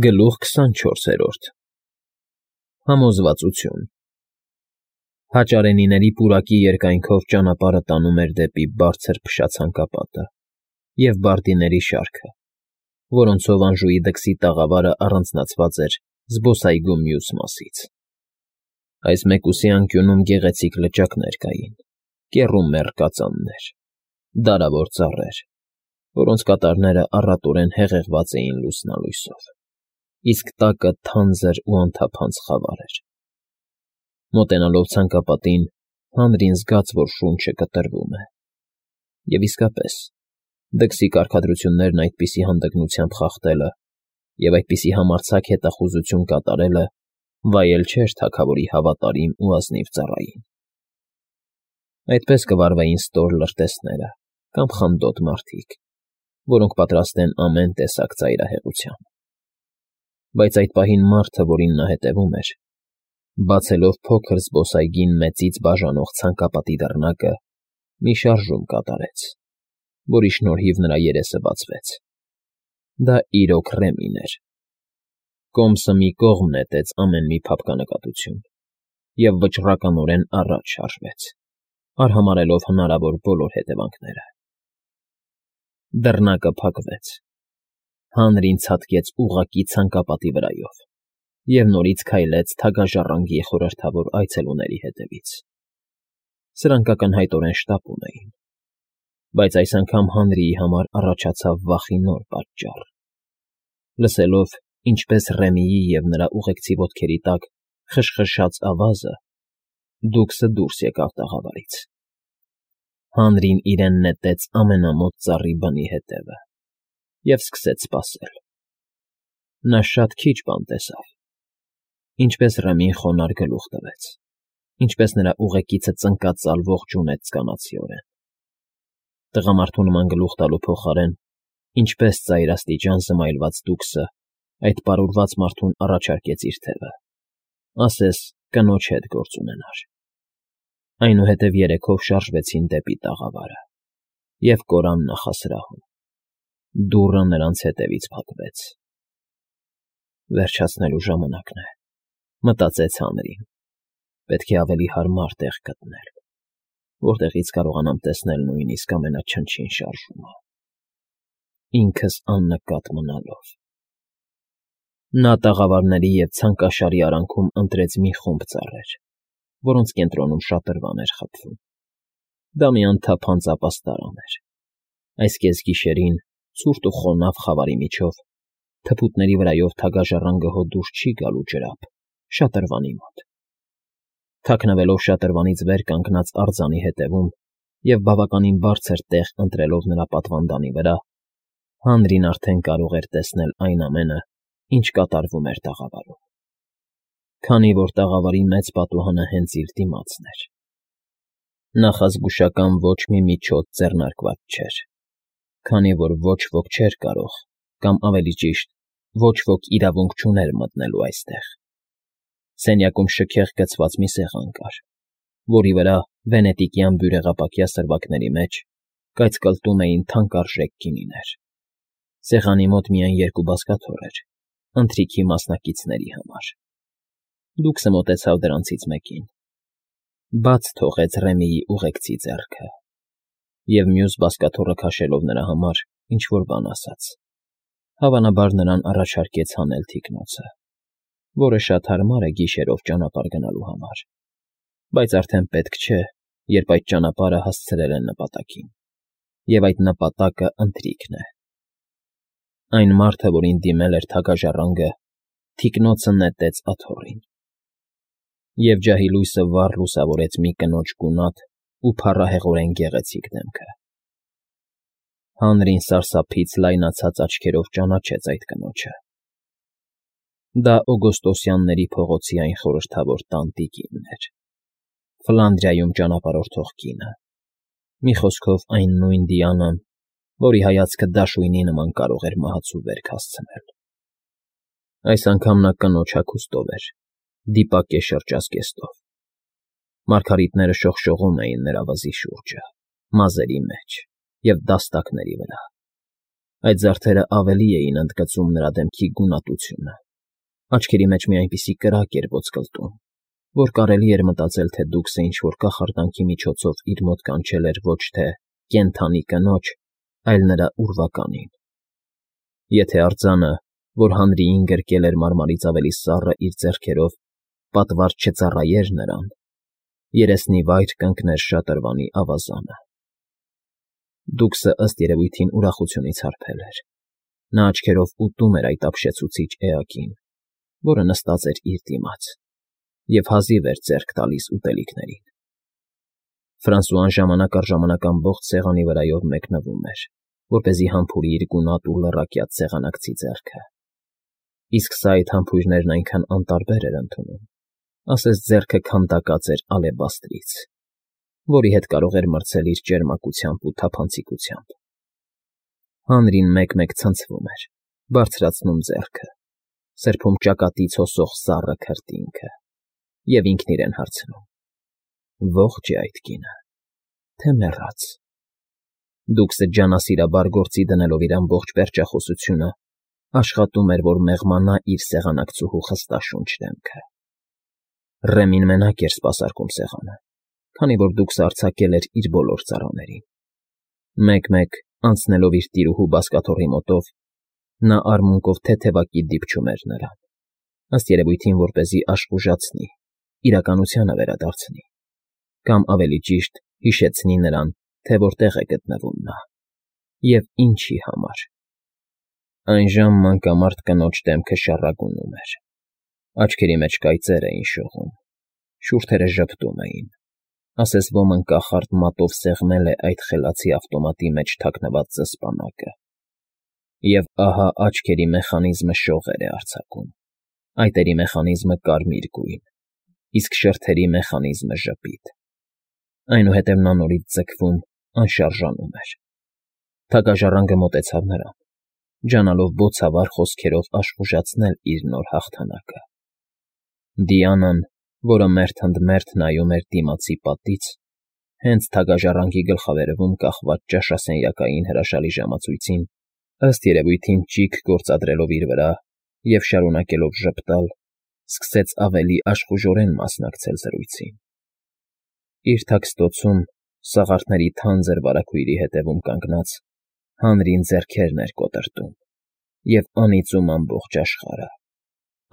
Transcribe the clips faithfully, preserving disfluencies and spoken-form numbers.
Գլուխ քսանչորսերորդ Համոզվածություն Հաճարենիների պուրակի երկայնքով ճանապարհը տանում էր դեպի բարձր փշացանկապատը և բարդիների շարքը, որոնցով Անժուի դքսի տաղավարը առանձնացված էր զբոսայգու մյուս մասից. այս մեկուսի անկյունում գեղեցիկ լճակներ կային, կեռումեռ կածաններ, դարավոր ծառեր, որոնց կատարները առատորեն հեղեղված էին լուսնալույսով, իսկ տակը թանձր ու անթափանց խավար էր. մոտենալով ցանկապատին, հանրին զգաց, որ շունչը կտրվում է, և իսկապես, դքսի կարգադրություններն այդպիսի հանդգնությամբ խախտելը և այդպիսի համարձակ հետախուզություն կատարելը վայել չէր թագավորի հավատարիմ ու ազնիվ ծառային. այդպես կվարվեին ստոր լրտեսները կամ խանդոտ մարդիկ, որոնք պատրաստ են ամեն տեսակ ծայրահեղության. բայց այդ պահին մարդը, որին նա հետևում էր, բացելով փոքր զբոսայգին մեծից բաժանող ցանկապատի դռնակը, մի շարժում կատարեց, որի շնորհիվ նրա երեսը բացվեց. դա իրոք Ռեմին էր. կոմսը մի կողմ նետեց ամեն մի փափկանակատություն և վճռականորեն առաջ շարժվեց, արհամարհելով հնարավոր բոլոր հետևանքները. դռնակը փակվեց, հանրին ցատկեց ուղղակի ցանկապատի վրայով և նորից քայլեց թագաժառանգի խորհրդավոր այցելուների հետևից. սրանք ակնհայտորեն շտապում էին, բայց այս անգամ Հանրիի համար առաջացավ վախի նոր պատճառ. լսելով, ինչպես Ռեմիի և նրա ուղեկցի ոտքերի տակ խշխշաց ավազը, դուքսը դուրս եկավ տաղավարից. հանրին իրեն նետեց ամենամոտ ծառի բնի հետևը և սկսեց սպասել. նա շատ քիչ բան տեսավ. ինչպես Ռեմին խոնարհ գլուխ տվեց, ինչպես նրա ուղեկիցը ծնկածալ ողջունեց կանացիորեն. տղամարդու նման գլուխ տալու փոխարեն, ինչպես ծայրաստիճան զմայլված դուքսը այդ պարուրված մարդուն առաջարկեց իր թևը, ասես կնոջ հետ գործ ունենար. այնուհետև երեքով շարժվեցին դեպի տաղավարը և կորան նախասրահում. դուռը նրանց հետևից փակվեց. վերջացնելու ժամանակն է, մտածեց Հանրին, պետք է ավելի հարմար տեղ գտնել, որտեղից կարողանամ տեսնել նույնիսկ ամենաչնչին շարժումը, ինքս աննկատ մնալով. նա տաղավարների և ցանկաշարի արանքում ընտրեց մի խումբ ծառեր, որոնց կենտրոնում շատրվան էր խփվում. դա մի անթափանց ապաստարան էր. այս կեսգիշերին, ցուրտ ու խոնավ խավարի միջով, թփուտների վրայով թագաժառանգը հո դուրս չի գալու ջրափ, շատրվանի մոտ. թաքնվելով շատրվանից վեր կանգնած արձանի հետևում և բավականին բարձր տեղ ընտրելով նրա պատվանդանի վրա, Հանրին արդեն կարող էր տեսնել այն ամենը, ինչ կատարվում էր տաղավարում. քանի որ տաղավարի մեծ պատուհանը հենց իր դիմացն էր. նախազգուշական ոչ մի միջոց ձեռնարկված չէր, քանի որ ոչ ոք չէր կարող, կամ ավելի ճիշտ, ոչ ոք իրավունք չուներ մտնելու այստեղ. սենյակում շքեղ գցված մի սեղան կար, որի վրա վենետիկյան բյուրեղապակյա սրվակների մեջ կայծկլտում էին թանկարժեք գինիներ. սեղանի մոտ միայն երկու բազկաթոռ էր, ընթրիքի մասնակիցների համար. դուքսը մոտեցավ դրանցից մեկին, բաց թողեց Ռեմիի ուղեկցի ձեռքը և մյուս բազկաթոռը քաշելով նրա համար ինչ֊որ բան ասաց. հավանաբար նրան առաջարկեց հանել թիկնոցը, որը շատ հարմար է գիշերով ճանապարհ գնալու համար, բայց արդեն պետք չէ, երբ այդ ճանապարհը հասցրել են նպատակին, և այդ նպատակը ընթրիքն է. այն մարդը, որին դիմել էր թագաժառանգը, թիկնոցը նետեց աթոռին, և ջահի լույսը վառ լուսավորեց մի կնոջ գունատ ու փառահեղորեն գեղեցիկ դեմքը. Հանրին սարսափից լայնացած աչքերով ճանաչեց այդ կնոջը. դա օգոստոսյանների փողոցի այն խորհրդավոր տանտիկինն էր, Ֆլանդրիայում ճանապարհորդող կինը, մի խոսքով այն նույն Դիանան, որի հայացքը դաշույնի նման կարող էր մահացու վերք հասցնել. այս անգամ նա կնոջ հագուստով էր, դիպակե շրջազգեստով. մարգարիտները շողշողում էին նրա վզի շուրջը, մազերի մեջ և դաստակների վրա, Այդ զարդերը ավելի էին ընդգծում նրա դեմքի գունատությունը, աչքերի մեջ մի այնպիսի կրակ էր ոսկլտում, որ կարելի էր մտածել, թե Դուքսը ինչ֊որ կախարդանքի միջոցով իր մոտ կանչել էր ոչ թե կենդանի կնոջ, այլ նրա ուրվականին։ Եթե արձանը, որ հանրիին գրկել էր մարմարից ավելի սառը իր ձեռքերով, պատվար չծառայեր նրան, երեսնի վայր կընկներ շատրվանի ավազանը։ Դուքսը ըստ երևույթին ուրախությունից հարբել էր։ Նա աչքերով ուտում էր այդ ապշեցուցիչ էակին, որը նստած էր իր դիմաց, և հազիվ էր ձեռք տալիս ուտելիքներին։ Ֆրանսուան ժամանակ առ ժամանակ ամբողջ սեղանի վրայով մեկնվում էր, որպեսզի համբուրի իր գունատ ու լռակյաց սեղանակցի ձեռքը։ Իսկ սա այդ համբույրներն այնքան անտարբեր էր ընդունում, ասես ձեռքը քանդակած էր ալեբաստրից, որի հետ կարող էր մրցել իր ճերմակությամբ ու թափանցիկությամբ։ Հանրին մեկ֊մեկ ցնցվում էր, բարձրացնում ձեռքը, սրբում ճակատից հոսող սառը քրտինքը, և ինքն իրեն հարցնում. ո՞ղջ է այդ կինը, թե մեռած։ Դուքսը ջանասիրաբար գործի դնելով իր ամբողջ պերճախոսությունը, աշխատում էր, որ մեղմանա իր սեղանակցուհու խստաշունչ դեմքը։ Ռեմին մենակ էր սպասարկում սեղանը, քանի որ Դուքսը արձակել էր իր բոլոր ծառաներին։ Մեկ֊մեկ, անցնելով իր տիրուհու բազկաթոռի մոտով, նա արմունկով թեթևակի դիպչում էր նրան, ըստ երևույթին որպեսզի աշխուժացնի, իրականությանը վերադարձնի, կամ ավելի ճիշտ հիշեցնի նրան, թե որտեղ է գտնվում նա, և ինչի համար։ Այնժամ մանկամարտ կնոջ դեմքը շառագունում էր, աչքերի մեջ կայծեր էին շողում, շուրթերը ժպտում էին, ասես ոմն կախարդ մատով սեղմել է այդ խելացի ավտոմատի մեջ թաքնված զսպանակը։ Եվ ահա աչքերի մեխանիզմը շողեր է արձակում, այտերի մեխանիզմը կարմիր գույն, իսկ շրթերի մեխանիզմը ժպիտ։ Այնուհետև նա նորից ձգվում, անշարժանում էր։ Թագաժառանգը մոտեցավ նրան, ջանալով բոցավառ խոսքերով աշխուժացնել իր նոր հաղթանակը։ Դիանան, որը մերթ ընդ մերթ նայում էր դիմացի պատից, հենց թագաժառանգի գլխավերևում կախված ճաշասենյակային հրաշալի ժամացույցին, ըստ երևույթին ճիգ գործադրելով իր վրա և շարունակելով ժպտալ, սկսեց ավելի աշխուժորեն մասնակցել զրույցին։ Իր թաքստոցում, սաղարթների թանձր վարագույրի հետևում կանգնած, հանրին ձեռքերն էր կոտրտում և անիծում ամբողջ աշխարհը,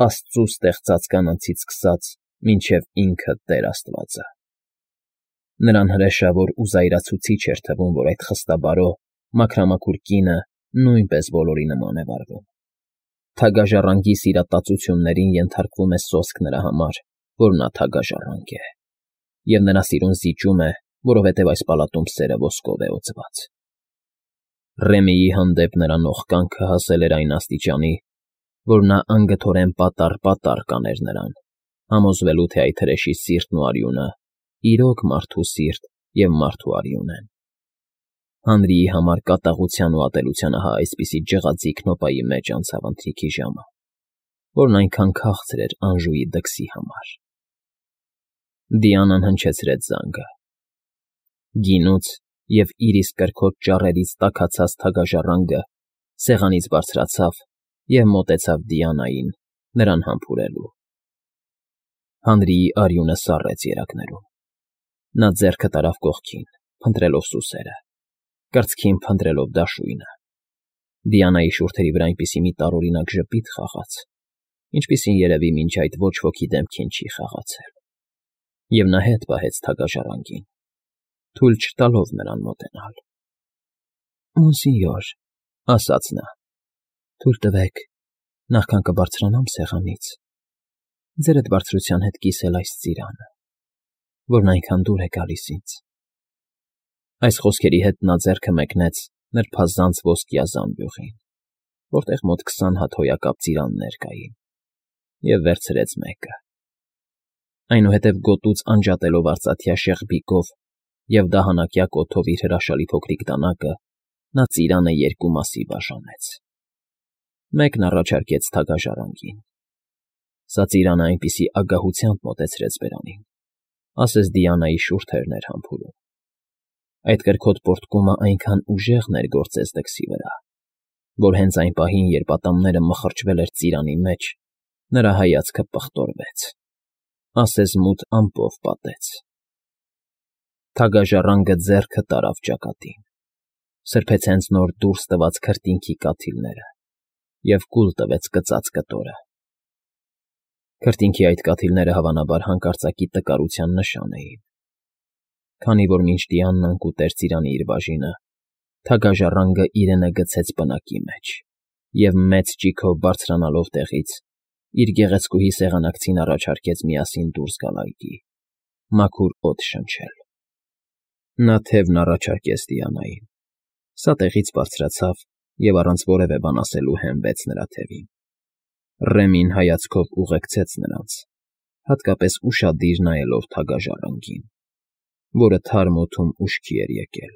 աստծու ստեղծած կանանցից սկսած մինչև ինքը Տեր Աստվածը։ Նրան հրեշավոր ու զայրացուցիչ էր թվում, որ այդ խստաբարո, մաքրամաքուր կինը նույնպես բոլորի նման է վարվում։ Թագաժառանգի սիրատածություններին ենթարկվում է սոսկ նրա համար, որ նա թագաժառանգ է, և նրա սիրուն զիջում է, որովհետև այս պալատում սերը ոսկով է օձված։ Ռեմիի հանդեպ նրա նողկանքը հասել էր այն աստիճանի, որ նա անգթորեն պատառ֊պատառ կաներ նրան, համոզվելու, թե այդ հրեշի սիրտն ու արյունը իրոք մարդու սիրտ և մարդու արյուն են։ Հանրիի համար կատաղության ու ատելության ահա այսպիսի ջղաձիգ նոպայի մեջ անցավ ընթրիքի ժամը, որն այնքան քաղցր էր Անժուի դքսի համար։ Դիանան հնչեցրեց զանգը։ Գինուց և իր իսկ կրքոտ ճառերից տաքացած թագաժառանգը սեղանից բարձրացավ և մոտեցավ Դիանային, նրան համբուրելու։ Հանրիի արյունը սառեց երակներում։ Նա ձեռքը տարավ կողքին, փնտրելով սուսերը, կրծքին փնտրելով դաշույնը։ Դիանայի շուրթերի վրա այնպիսի մի տարօրինակ ժպիտ խաղաց, ինչպիսին երևի մինչ այդ ոչ ոքի դեմքին չի խաղացել, և նա հետ պահեց թագաժառանգին, թույլ չտալով նրան մոտենալ։ ֊ Մոնսինյոր, ֊ ասաց նա, ֊ թույլ տվեք, նախքան կբարձրանամ սեղանից, ձերդ բարձրության հետ կիսել այս ծիրանը, որն այնքան դուր է գալիս ինձ։ Այս խոսքերի հետ նա ձեռքը մեկնեց նրբազանց ոսկյա զամբյուղին, որտեղ մոտ քսան հատ հոյակապ ծիրաններ կային, և վերցրեց մեկը։ Այնուհետև գոտուց անջատելով արծաթյա շեղբիկով և դահանակյա կոթով իր հրաշալի փոքրիկ դանակը, նա ծիրանը երկու մասի բաժանեց։ Մեկն առաջարկեց թագաժառանգին։ Սա ծիրանը այնպիսի ագահությամբ մոտեցրեց բերանին, ասես Դիանայի շուրթերն էր համբուրում։ Այդ կրքոտ պոռթկումը այնքան ուժեղ ներգործեց դքսի վրա, որ հենց այն պահին, երբ ատամները մխրճվել էր ծիրանի մեջ, նրա հայացքը պղտորվեց, ասես մութ ամպով պատեց։ Թագաժառանգը ձեռքը տարավ ճակատին, սրբեց հենց նոր դուրս տված քրտինքի կաթիլները և կուլ տվեց կծած կտորը։ Քրտինքի այդ կաթիլները, հավանաբար, հանկարծակի տկարության նշան էին, քանի որ մինչ Դիանան կուտեր ծիրանի իր բաժինը, թագաժառանգը իրենը գցեց պնակի մեջ և, մեծ ճիգով բարձրանալով տեղից, իր գեղեցկուհի սեղանակցին առաջարկեց միասին դուրս գալ այգի, մաքուր օդ շնչել։ Նա թևն առաջարկեց Դիանային, սա տեղից բարձրացավ և առանց որևէ բան ասելու հենվեց նրա թևին։ Ռեմին հայացքով ուղեկցեց նրանց, հատկապես ուշադիր նայելով թագաժառանգին, որը թարմ օդում ուշքի էր եկել։